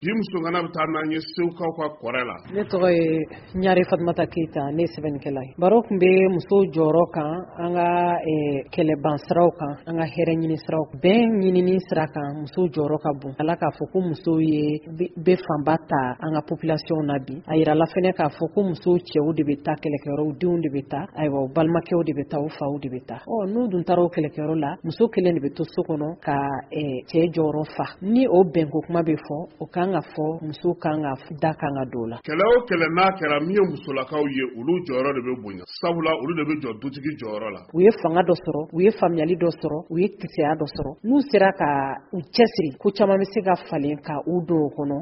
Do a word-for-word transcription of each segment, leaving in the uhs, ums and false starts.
Bi musokana bɛ taa n'an ye Segukaw ka kɔrɛ la. Ne tɔgɔ ye Ɲare Fatumata Keyita, ne ye sɛbɛnnikɛla ye. Baro tun bɛ musow jɔyɔrɔ kan an ka kɛlɛban siraw kan, an ka hɛrɛ ɲini siraw, bɛn ɲinini sira kan. Musow jɔyɔrɔ ka bon. Ala k'a fɔ ko musow ye bɛ fanba ta an ka population na bi. A yirala fɛnɛ k'a fɔ ko musow cɛw de bɛ taa kɛlɛkɛyɔrɔw, denw de bɛ taa, ayiwa, u balimakɛw de bɛ taa, u faw de bɛ taa. Ɔ n'u dun taara o kɛlɛkɛyɔrɔ la, muso kelen de bɛ to so kɔnɔ ka cɛ jɔyɔrɔ fa. Ni o bɛnko kuma bɛ fɔ, o kan ka fɔ muso kan ka da kan ka don o la. Kɛlɛ o kɛlɛ n'a kɛra, min ye musolakaw ye, olu jɔyɔrɔ de bɛ bonya, sabula olu de bɛ jɔ dutigi jɔyɔrɔ la. U ye fanga dɔ sɔrɔ, u ye faamuyali dɔ sɔrɔ, u ye kisɛya dɔ sɔrɔ. N'u sera ka u cɛsiri, ko caman bɛ se ka falen ka u don o kɔnɔ,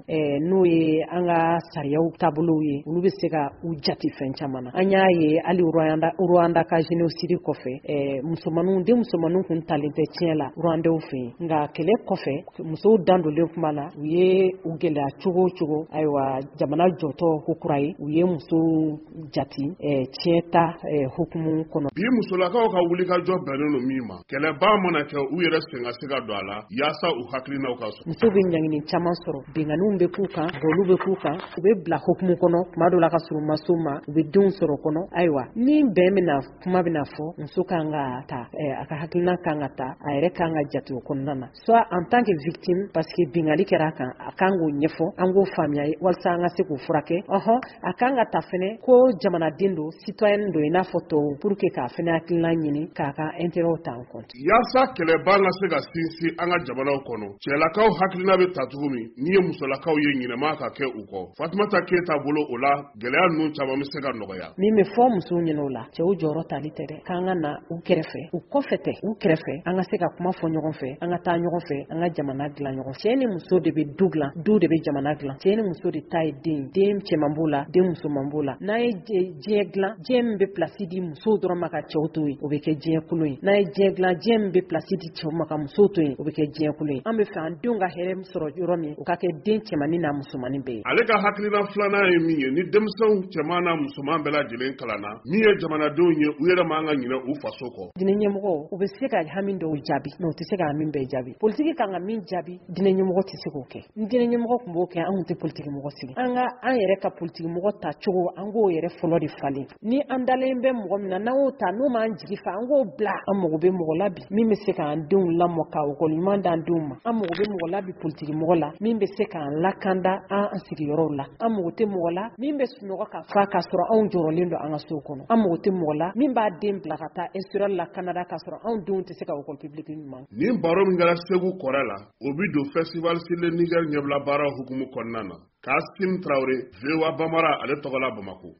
n'o ye an ka sariyaw taabolow ye. Olu bɛ se ka u jate fɛn caman na. An y'a ye hali Rwanda, Rwanda ka génocide kɔfɛ, musomaninw, den musomaninw kun talen tɛ tiɲɛ la Rwandais fɛ yen. Nka kɛlɛ kɔfɛ, musow dan donlen kuma la, u ye u gɛlɛya cogo o cogo, ayiwa, jamana jɔtɔ ko kura ye, u ye musow jati tiɲɛ ta hukumu kɔnɔ. Bi musolakaw ka wulikajɔ bɛnnen don min ma, kɛlɛba mana kɛ, u yɛrɛ sen ka se ka don a la yaasa u hakilinaw ka sɔrɔ. Musow bɛ ɲangini caman sɔrɔ, binkanniw bɛ k'u kan, bɔliw bɛ k'u kan, u bɛ bila hukumu kɔnɔ tuma dɔw la ka sɔrɔ u ma s'o ma, u bɛ denw sɔrɔ kɔnɔ. Ayiwa, ni bɛn bɛna, kuma bɛna fɔ, muso kan ka ta, a ka hakilina kan ka ta, a yɛrɛ kan ka jate o kɔnɔna na, soit en tant que victime, parce que binkanni kɛra a kan, a kan k'o ɲɛfɔ, an k'o faamuya walasa an ka se k'o furakɛ. Ɔhɔn, a kan ka ta fɛnɛ ko jamanaden don, citoyen don i n'a fɔ tɔw, pour que k'a fɛnɛ hakilina ɲini k'a ka intérêt ta en compte. Yaasa kɛlɛba ka se ka sinsin an ka jamanaw kɔnɔ, cɛlakaw hakilina bɛ ta cogo min, n'i ye musolakaw ye, ɲinɛma ka kɛ u kɔ. Fatumata Keyita bolo, o la gɛlɛya ninnu caman bɛ se ka nɔgɔya. Min bɛ fɔ musow ɲɛna o la, cɛw jɔyɔrɔ tali tɛ dɛ, k'an ka na u kɛrɛfɛ, u kɔfɛ tɛ, u kɛrɛfɛ, an ka se ka kuma fɔ ɲɔgɔn fɛ, an ka taa ɲɔgɔn fɛ, an ka jamana dilan ɲɔgɔn fɛ. Cɛ ni muso de bɛ du dilan, du de bɛ jamana dilan. Cɛ ni muso de ta ye den, den cɛman b'o la, den musoman b'o la. N'an ye diɲɛ dilan, diɲɛ min bɛ place di musow dɔrɔn ma ka cɛw to yen, o bɛ kɛ diɲɛ kolon ye. N'an ye diɲɛ dilan, diɲɛ min bɛ place di cɛw ma ka musow to yen, o bɛ kɛ diɲɛ kolon ye. An bɛ fɛ an denw ka hɛrɛ sɔrɔ yɔrɔ min, o ka kɛ den cɛmannin n'a musomannin bɛɛ ye. Ale ka hakilina filanan ye min ye, ni denmisɛnw cɛman n'a musoman bɛɛ lajɛlen kalanna, min ye jamanadenw ye, u yɛrɛ man ka ɲinɛ u faso kɔ. Diinɛ ɲɛmɔgɔw, u bɛ se ka hami dɔw jaabi, mais u tɛ se ka hami bɛɛ jaabi. Politiki kan ka min jaabi, diinɛ ɲɛmɔgɔ tɛ se k'o kɛ. Ni diinɛ ɲɛmɔgɔ tun b'o kɛ, an tun tɛ politiki mɔgɔ sigi. An ka an yɛrɛ ka politiki mɔgɔ ta cogo, an k'o yɛrɛ fɔlɔ de falen. Ni an dalen bɛ mɔgɔ min na, n'an y'o ta, n'o m'an jigi fa, an k'o bila. An mago bɛ mɔgɔ la bi min bɛ se k'an denw lamɔ, ka ekɔli ɲuman d'an denw ma. An mago bɛ mɔgɔ la bi politiki mɔgɔ la min bɛ se k'an lakanda an sigiyɔrɔw la. An mago tɛ mɔgɔ la min bɛ sunɔgɔ ka fa k'a sɔrɔ anw jɔrɔlen don an ka so kɔnɔ. An mago tɛ mɔgɔ la min b'a den bila ka taa instruire la Canada k'a sɔrɔ anw denw tɛ se ka école publique ɲuman. Nin baro min kɛra Segu kɔrɛ la, o bi don Festival sur le Niger ɲɛbila baara hukumu kɔnɔna na. Kasim Traoré, V O A Bambara, ale tɔgɔ la Bamako.